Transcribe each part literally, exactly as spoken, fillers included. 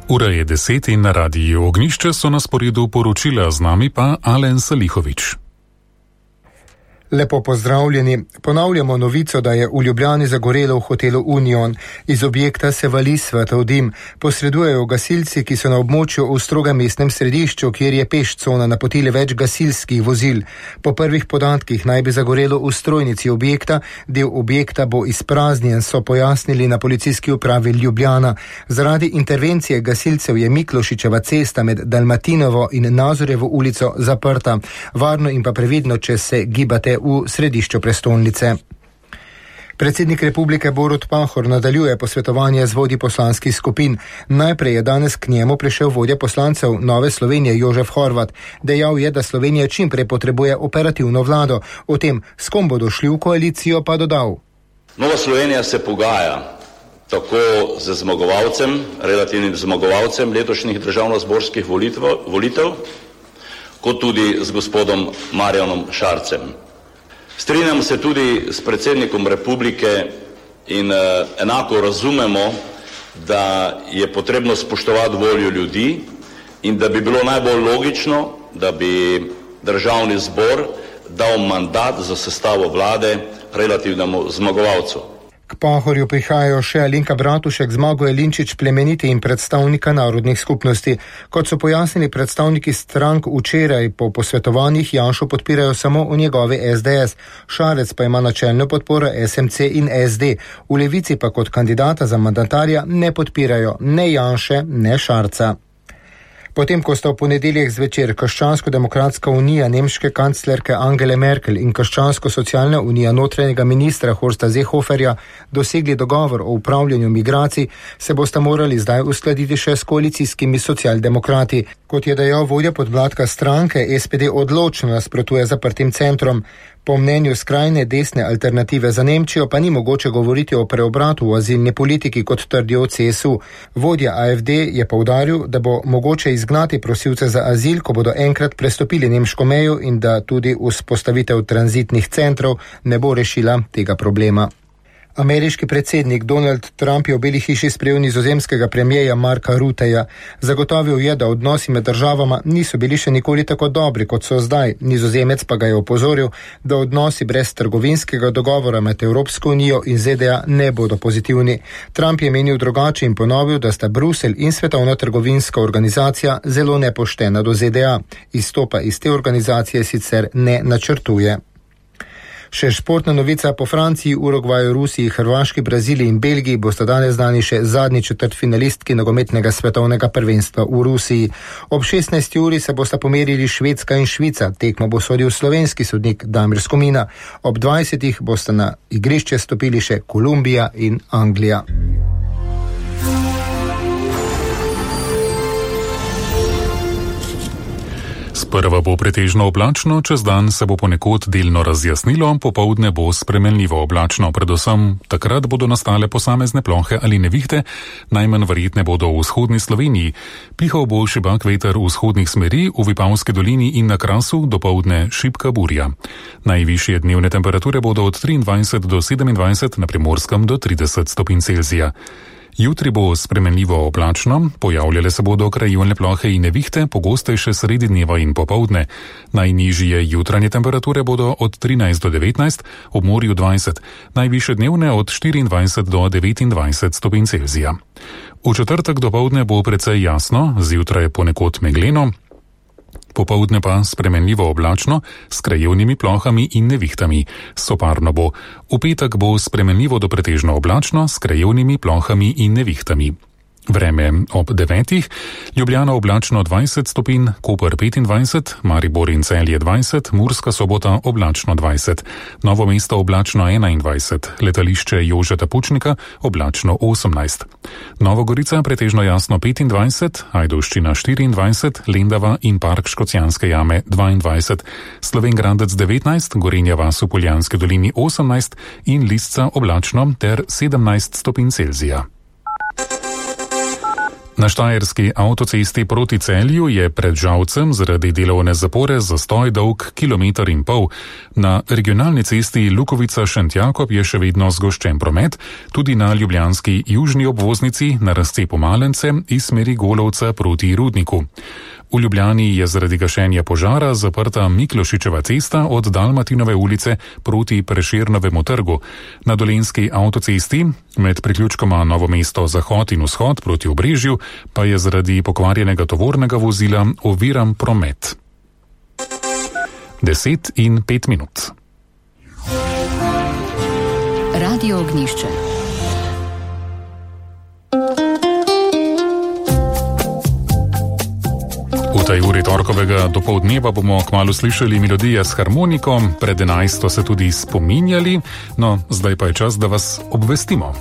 Ura je deset in na radiju Ognjišče so na sporedu poročila, z nami pa Alen Salihovič. Lepo pozdravljeni. Ponavljamo novico, da je v Ljubljani zagorelo v hotelu Union. Iz objekta se vali svetov dim. Posredujejo gasilci, ki so na območju v strogem mestnem središču, kjer je peš cona, napotili več gasilskih vozil. Po prvih podatkih naj bi zagorelo v strojnici objekta, del objekta bo izpraznjen, so pojasnili na policijski upravi Ljubljana. Zaradi intervencije gasilcev je Miklošičeva cesta med Dalmatinovo in Nazorjevo ulico zaprta. Varno in pa previdno, če se gibate v središču prestolnice. Predsednik republike Borut Pahor nadaljuje posvetovanje z vodji poslanskih skupin. Najprej je danes k njemu prišel vodja poslancev Nove Slovenije Jožef Horvat. Dejal je, da Slovenija čim prej potrebuje operativno vlado. O tem, s kom bodo šli v koalicijo, pa dodal. Nova Slovenija se pogaja tako z zmagovalcem, relativnim zmagovalcem letošnjih državnozborskih volitev, kot tudi z gospodom Marjanom Šarcem. Strinjam se tudi s predsednikom republike in uh, enako razumemo, da je potrebno spoštovati voljo ljudi in da bi bilo najbolj logično, da bi državni zbor dal mandat za sestavo vlade relativnemu zmagovalcu. K Pahorju prihajajo še Alenka Bratušek, Zmago Jelinčič, plemeniti in predstavnika narodnih skupnosti. Kot so pojasnili predstavniki strank včeraj, po posvetovanjih Janšo podpirajo samo v njegovi S D S. Šarec pa ima načelno podporo S M C in S D. V Levici pa kot kandidata za mandatarja ne podpirajo ne Janše, ne Šarca. Potem, ko sta v ponedeljek zvečer Krščansko-demokratska unija nemške kanclerke Angele Merkel in Krščansko-socialna unija notranjega ministra Horsta Seehoferja dosegli dogovor o upravljanju migracij, se bosta morali zdaj uskladiti še s koalicijskimi socialdemokrati. Kot je dejal vodja podmladka stranke, S P D odločno nasprotuje zaprtim centrom. Po mnenju skrajne desne alternative za Nemčijo pa ni mogoče govoriti o preobratu v azilni politiki, kot trdijo v C S U. Vodja A F D je poudaril, da bo mogoče izgnati prosilce za azil, ko bodo enkrat prestopili nemško mejo, in da tudi vzpostavitev tranzitnih centrov ne bo rešila tega problema. Ameriški predsednik Donald Trump je v Beli hiši sprejel nizozemskega premierja Marka Rutteja. Zagotovil je, da odnosi med državama niso bili še nikoli tako dobri, kot so zdaj. Nizozemec pa ga je opozoril, da odnosi brez trgovinskega dogovora med Evropsko unijo in Z D A ne bodo pozitivni. Trump je menil drugače in ponovil, da sta Bruselj in Svetovna trgovinska organizacija zelo nepoštena do Z D A. Izstopa iz te organizacije sicer ne načrtuje. Še športna novica: po Franciji, Urugvaju, Rusiji, Hrvaški, Braziliji in Belgiji bosta danes znani še zadnji četrtfinalistki nogometnega svetovnega prvenstva v Rusiji. Ob šestnajsti uri se bosta pomerili Švedska in Švica. Tekmo bo sodil slovenski sodnik Damir Skomina. Ob dvajsetih bosta na igrišče stopili še Kolumbija in Anglija. Sprva bo pretežno oblačno, čez dan se bo ponekod delno razjasnilo, popoldne bo spremenljivo oblačno, predvsem takrat bodo nastale posamezne plohe ali nevihte, najmanj verjetne bodo v vzhodni Sloveniji. Pihal bo šibak veter v vzhodnih smeri, v Vipavski dolini in na Krasu, dopoldne šibka burja. Najvišje dnevne temperature bodo od triindvajset do sedemindvajset, na Primorskem do trideset stopinj Celzija. Jutri bo spremenljivo oblačno, pojavljale se bodo krajevne plohe in nevihte, pogostejše sredi dneva in popoldne. Najnižje jutranje temperature bodo od trinajst do devetnajst, ob morju dvajset, najvišje dnevne od štiriindvajset do devetindvajset stopinj Celzija. V četrtek dopoldne bo precej jasno, zjutraj ponekod megleno, popoldne pa spremenljivo oblačno s krajevnimi plohami in nevihtami. Soparno bo. V petek bo spremenljivo do pretežno oblačno s krajevnimi plohami in nevihtami. Vreme ob devetih, Ljubljana oblačno dvajset stopinj, Koper petindvajset, Maribor in Celje dvajset, Murska Sobota oblačno dvajset, Novo mesto oblačno enaindvajset, letališče Jožeta Pučnika oblačno osemnajst. Novogorica pretežno jasno petindvajset, Ajdovščina štiriindvajset, Lendava in Park Škocjanske jame dvaindvajset, Slovenj Gradec devetnajst, Gorenja vas v Poljanski dolini osemnajst in Lisca oblačno ter sedemnajst stopinj Celzija. Na Na štajerski avtocesti proti Celju je pred Žalcem zaradi delovne zapore zastoj dolg kilometer in pol. Na regionalni cesti Lukovica-Šentjakob je še vedno zgoščen promet, tudi na ljubljanski južni obvoznici na razcepu Malence iz smeri Golovca proti Rudniku. V Ljubljani je zaradi gašenja požara zaprta Miklošičeva cesta od Dalmatinove ulice proti Prešernovemu trgu. Na dolenjski avtocesti med priključkoma Novo mesto Zahod in Vzhod proti Obrežju pa je zaradi pokvarjenega tovornega vozila oviran promet. Deset in pet minut. Radio Ognjišče. V tej uri torkovega dopoldneva bomo kmalu slišali melodije s harmoniko, pred enajsto se tudi spominjali, no zdaj pa je čas, da vas obvestimo.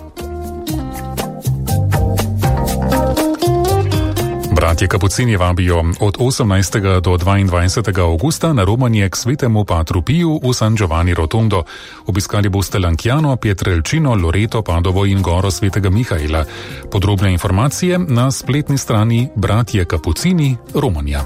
Bratje Kapucini vabijo od osemnajstega do dvaindvajsetega avgusta na romanje k svetemu Patru Piju v San Giovanni Rotondo. Obiskali boste Lankjano, Pietrelcino, Loreto, Padovo in Goro svetega Mihaela. Podrobne informacije na spletni strani Bratje Kapucini Romanja.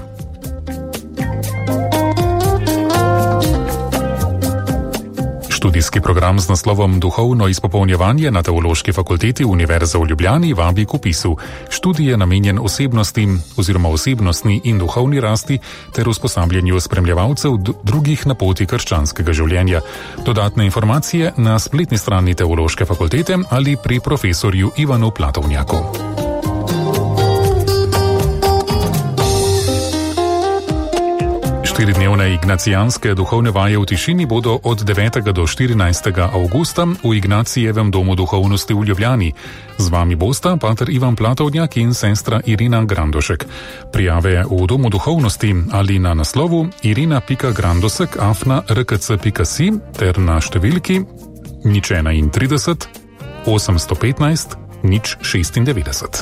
Študijski program z naslovom Duhovno izpopolnjevanje na Teološki fakulteti Univerze v Ljubljani vabi k vpisu. Študij je namenjen osebnosti oziroma osebnostni in duhovni rasti ter usposabljanju spremljevalcev drugih na poti krščanskega življenja. Dodatne informacije na spletni strani Teološke fakultete ali pri profesorju Ivanu Platovnjaku. Štiridnevne ignacijanske duhovne vaje v tišini bodo od devetega do štirinajstega avgusta v Ignacijevem domu duhovnosti v Ljubljani. Z vami bosta pater Ivan Platovnjak in sestra Irina Grandošek. Prijave v domu duhovnosti ali na naslovu irina pika grandosek afna r k c pika si ter na številki nič enaintrideset osemsto petnajst nič šestindevetdeset.